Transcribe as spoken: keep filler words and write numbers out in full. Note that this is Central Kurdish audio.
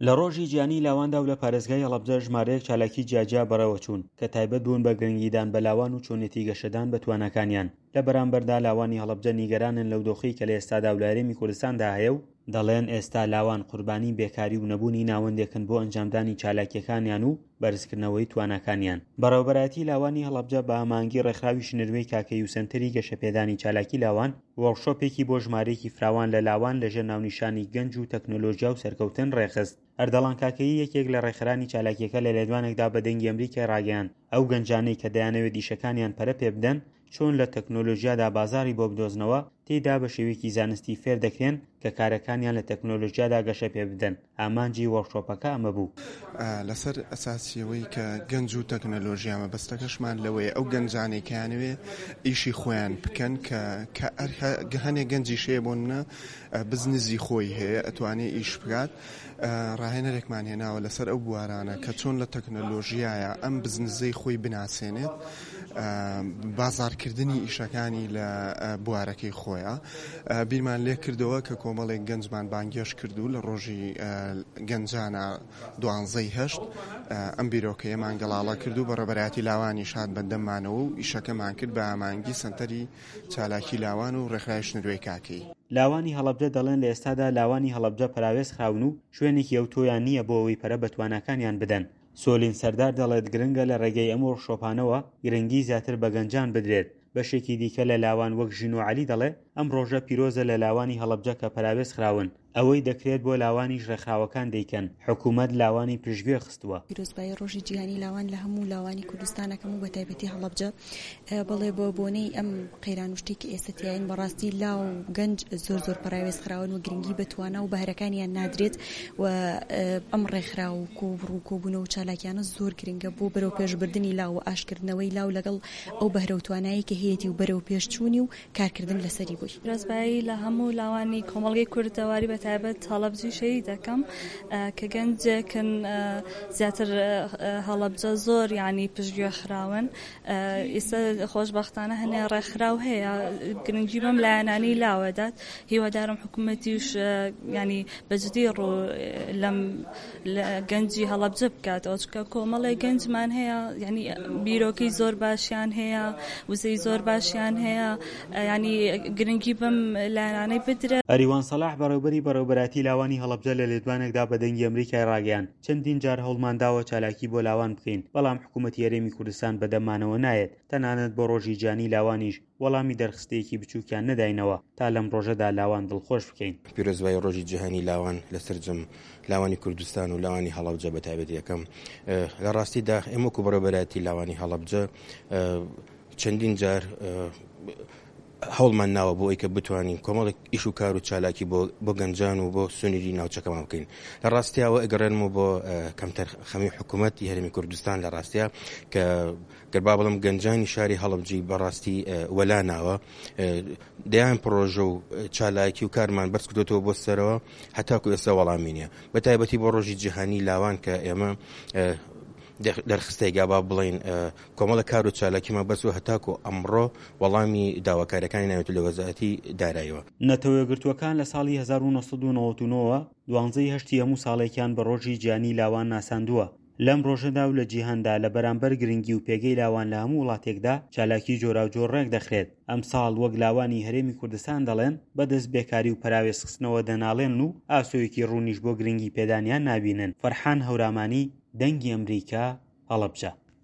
لە ڕۆژی جیهانی لاواندا و لە پارێزگای هەڵەبجە ژمارەیەک چالاکی جیاجیا بەڕێوەچوون کە تایبەت بوون بە گرنگیدان بە لاوان و چۆنێتی گەشەدان بە تواناکانیان. لە بەرامبەردا لاوانی هەڵەبجە نیگەرانن لەو دۆخەی کە لە ئێستادا و لە هەرێمی کوردستاندا هەیە و دەڵێن ئێستا لاوان قوربانی بێکاری و نەبوونی ناوەندێکن بۆ ئەنجامدانی چالاکیەکانیان و بەرزکردنەوەی تواناکانیان. بەڕێوەبەرایەتی لاوانی هەڵەبجە بە ئامانگی ڕێکخراوی شنروێی کاکەیی و سەنتەری گەشەپێدانی چالاکی لاوان وۆرکشۆپێکی بۆ ژمارەیەکی فراوان لە لاوان لەژێر ناونیشانی گەنج و تەکنۆلۆژیا و سەرکەوتن ڕێکخست. ئەردەڵان کاکەیی یەکێک لە ڕێکخەرانی چالاکیەکە لە لێدوانێکدا بە دەنگی ئەمریکای ڕاگەیاند ئەو گەنجانەی کە دەیانەوێت ئیشەکانیان پەرە پێ بدەن چۆن لە تەکنۆلۆژیادا بازاڕی بۆ بدۆزنەوە تێیدا بە شێوەیەکی زانستی فێر دەکرێن کە کارەکانیان لە تەکنۆلۆژیادا گەشە پێ بدەن. ئامانجی وۆرکشۆپەکە ئەمە بوو. لەسەر ئەساسیەوەی کە گەنج و تەکنەلۆژیا مەبەستەکەشمان لەوەیە ئەو گەنجانەی کەیانەوێ ئیشی خۆیان بکەن کە کە هەنێک گەنجیش هەیە بۆ نمونە بزنزی خۆی هەیە ئەتوانێ ئیش بکات، ڕاهێنەرێکمان هێناوە لەسەر ئەو بوارانە کە چۆن لە تەکنەلۆژیایە ئەم بزنزەی خۆی بناسێنێت، بازارکردنی ئیشەکانی لە بوارەکەی خۆیە. بیرمان لێ کردەوە کە کۆمەڵێک گەنجمان بانگێش کردو لە ڕۆژی گەنجانە دوانزەی هەشت ئەم بیرۆکەیەمان گەڵاڵە کرد و بەڕێوەبەرایەتی لاوانیش هات بەدەممانەوە و ئیشەکەمان کرد بە ئامانگی سەنتەری چالاکی لاوان و ڕێکخراوی شنروێی کاکەیی. لاوانی هەڵەبجە دەڵێن لە ئێستادا لاوانی هەڵەبجە پەراوێز خراون و شوێنێکی ئەوتۆیان نییە بۆ ئەوەی پەرە بە تواناکانیان بدەن. سۆلین سەردار دەڵێت گرنگە لە ڕێگەی ئەم وۆرکشۆپانەوە گرنگی زیاتر بە گەنجان بدرێت. بەشێکی دیکە لە لاوان وەک ژینۆ عەلی دەڵێ ئەم ڕۆژە پیرۆزە لە لاوانی هەڵەبجە کە پەراوێز خراون، ئەوەی دەکرێت بۆ لاوانیش ڕێکخراوەکان دەیکەن، حکوومەت لاوانی پشتگوێ خستووە. پیرۆزبایی ڕۆژی جیهانی لاوان لە هەموو لاوانی کوردستان ئەکەم و بە تایبەتی هەڵەبجە. بەڵێ بۆ بۆنەی ئەم قەیران و شتێک کە ئێستا تیاین بەڕاستی لاو و گەنج زۆر زۆر پەراوێز خراون و گرنگی بە توانا و بەهرەکانیان نادرێت و ئەم ڕێکخراو و کۆبڕ و کۆبوونەوە و چالاکیانە زۆر گرنگە بۆ بەرەو پێشبردنی لاو و ئاشکردنەوەی لاو لەگەڵ ئەو بەهرە و توانایی کە هەیەتی و بەرەو پێشچوونی و کارکردن لەسەری بووی. پیرۆزبایی لە هەموو لاوانی کۆمەڵگەی کوردەواری بە تایبەت هەڵەبجەی شەهید دەکەم کە گەنجێکن زیاتر هەڵەبجە زۆر یعنی پشتگوێ خراون. ئێستا خۆشبەختانە هەنێ ڕێکخراو هەیە گرنگی بەم لایەنانەی لاوەدات. هیوادارم حکوومەتیش ینی بەجدی ڕوو لەم گەنجی هەڵەبجە بکاتەوە، چونکە کۆمەڵێک گەنجمان هەیە ینی بیرۆکەی زۆر باشیان هەیە، وزەی زۆر باشیان هەیە، ینی گرنگی بەم لایەنانەی بدرێت. ئەریوان سەلاح بەڕێوبەری بەڕێوبەرایەتی لاوانی هەڵەبجە لە لێدوانێکدا بە دەنگی ئەمریکای ڕاگەیاند چەندین جار هەوڵمان داوە چالاکی بۆ لاوان بکەین، بەڵام حکوومەتی هەرێمی کوردستان بەدەممانەوە نایەت، تەنانەت بۆ ڕۆژی جیهانی لاوانیش وەڵامی دەرخستەیەکی بچووکیان نەداینەوە تا لەم ڕۆژەدا لاوان دڵخۆش بکەین. پیرۆزبایی ڕۆژی جیهانی لاوان لە سەرجەم لاوانی کوردستان و لاوانی هەڵەبجە بە تایبەتی یەکەم. لە ڕاستیدا ئێمە وەکو بەڕێوەبەرایەتی لاوانی هەڵەبجە چەندین جار هەوڵمان ناوە بۆ ئەوەی کە بتوانین کۆمەڵێک ئیش و کار و چالاکی بۆ گەنجان و بۆ سنووری ناوچەکەمان بکەین. لە ڕاستیاوە ئەگەڕێنمەوە بۆ کەمتەر خەمی حکوومەتی هەرێمی کوردستان لە ڕاستیا کە گەر با بڵم گەنجانی شاری هەڵەبجەی بەڕاستی وەلا ناوە، دەیان پرۆژە و چالاکی و کارمان بەرز کردوێتەوە بۆ سەرەوە هەتاکو ئێستا وەڵامی نییە، بە تایبەتی بۆ ڕۆژی جیهانی لاوان کە ئێمە دەرخستەیەک با بڵین کۆمەڵە کار و چالاکیمان بەس و هەتاکو ئەمڕۆ وەڵامی داواکاریەکانی ناوێت لە وەزارەتی داراییەوە. نەتەوە یەکگرتووەکان لە ساڵی هەزار و نۆ سەد و نەوەد و نۆ وە دوانزەی هەشتی هەموو ساڵێکیان بە ڕۆژی جیهانی لاوان ناساندووە. لەم ڕۆژەدا و لە جیهاندا لە بەرامبەر گرنگی و پێگەی لاوان لە هەموو وڵاتێکدا چالاکی جۆراوجۆر ڕێک دەخرێت. ئەمساڵ وەک لاوانی هەرێمی کوردستان دەڵێن بەدەست بێکاری و پەراوێزخستنەوە دەناڵێن و ئاسۆیەکی ڕوونیش بۆ گرنگی پێدانیان نابینن. فەرحان هەورامانی، دەنگی ئەمریکا، هەڵەبجە.